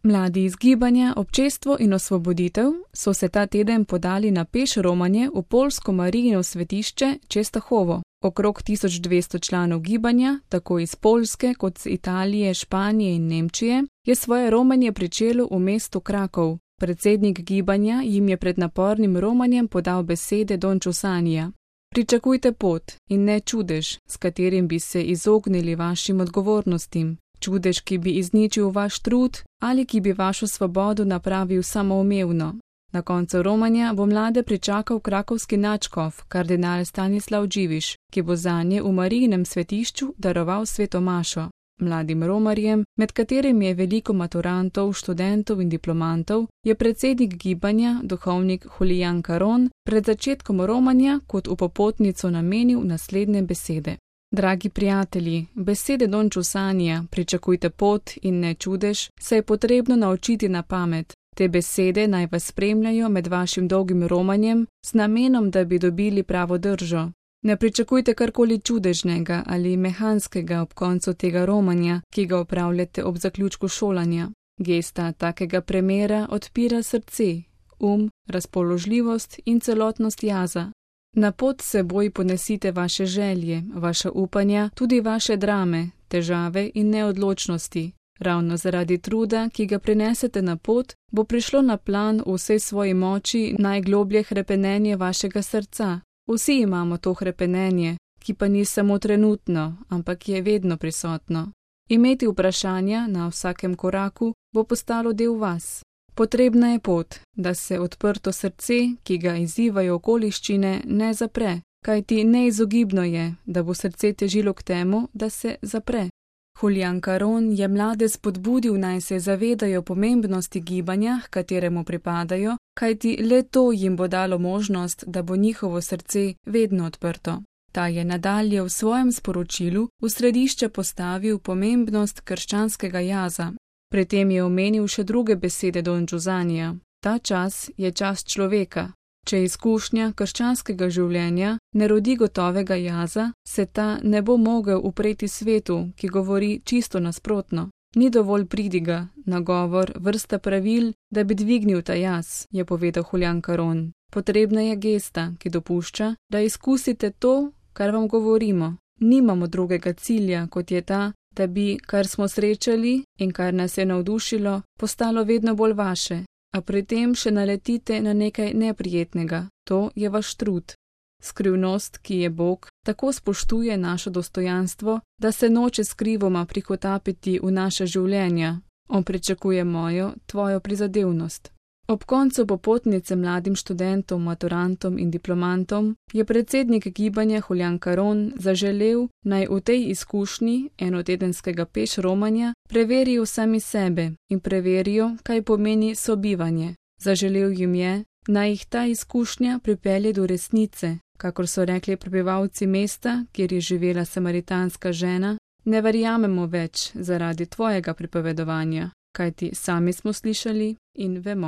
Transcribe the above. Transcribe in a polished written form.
Mladi iz gibanja Občestvo in osvoboditev so se ta teden podali na peš romanje v poljsko Marijino svetišče Čestahovo. Okrog 1200 članov gibanja, tako iz Poljske kot iz Italije, Španije in Nemčije, je svoje romanje pričelo v mestu Krakov. Predsednik gibanja jim je pred napornim romanjem podal besede Don Giusanija. Pričakujte pot in ne čudež, s katerim bi se izognili vašim odgovornostim. Čudež, ki bi izničil vaš trud ali ki bi vašo svobodo napravil samoumevno. Na koncu romanja bo mlade pričakal krakovski nadškof, kardinal Stanislav Dživiš, ki bo zanje v Marijinem svetišču daroval sveto mašo. Mladim romarjem, med katerimi je veliko maturantov, študentov in diplomantov, je predsednik gibanja, duhovnik Julian Caron, pred začetkom romanja kot v popotnico namenil naslednje besede. Dragi prijatelji, besede Don Giusanija, pričakujte pot in ne čudež, se je potrebno naučiti na pamet. Te besede naj vas spremljajo med vašim dolgim romanjem z namenom, da bi dobili pravo držo. Ne pričakujte karkoli čudežnega ali mehanskega ob koncu tega romanja, ki ga opravljate ob zaključku šolanja. Gesta takega premera odpira srce, razpoložljivost in celotnost jaza. Na pot seboj ponesite vaše želje, vaša upanja, tudi vaše drame, težave in neodločnosti. Ravno zaradi truda, ki ga prinesete na pot, bo prišlo na plan v vsej svoji moči najgloblje hrepenenje vašega srca. Vsi imamo to hrepenenje, ki pa ni samo trenutno, ampak je vedno prisotno. Imeti vprašanja na vsakem koraku bo postalo del vas. Potrebna je pot, da se odprto srce, ki ga izzivajo okoliščine, ne zapre, kajti neizogibno je, da bo srce težilo k temu, da se zapre. Julian Caron je mlade spodbudil, naj se zavedajo pomembnosti gibanja, h kateremu pripadajo, kajti le to jim bo dalo možnost, da bo njihovo srce vedno odprto. Ta je nadalje v svojem sporočilu v središče postavil pomembnost krščanskega jaza. Pri tem je omenil še druge besede Don Giusanija. Ta čas je čas človeka. Če izkušnja krščanskega življenja ne rodi gotovega jaza, se ta ne bo mogel upreti svetu, ki govori čisto nasprotno. Ni dovolj pridiga, nagovor, vrsta pravil, da bi dvignil ta jaz, je povedal Julian Caron. Potrebna je gesta, ki dopušča, da izkusite to, kar vam govorimo. Nimamo drugega cilja, kot je ta, da bi, kar smo srečali in kar nas je navdušilo, postalo vedno bolj vaše. A pri tem še naletite na nekaj neprijetnega, to je vaš trud. Skrivnost, ki je Bog, tako spoštuje našo dostojanstvo, da se noče skrivoma prihotapiti v naše življenja. On pričakuje mojo, tvojo prizadevnost. Ob koncu popotnice mladim študentom, maturantom in diplomantom je predsednik gibanja Julian Caron zaželel, naj v tej izkušnji enotedenskega peš romanja preverijo sami sebe in preverijo, kaj pomeni sobivanje. Zaželel jim je, naj jih ta izkušnja pripelje do resnice, kakor so rekli prebivalci mesta, kjer je živela samaritanska žena, ne verjamemo več zaradi tvojega pripovedovanja, kajti sami smo slišali in vemo.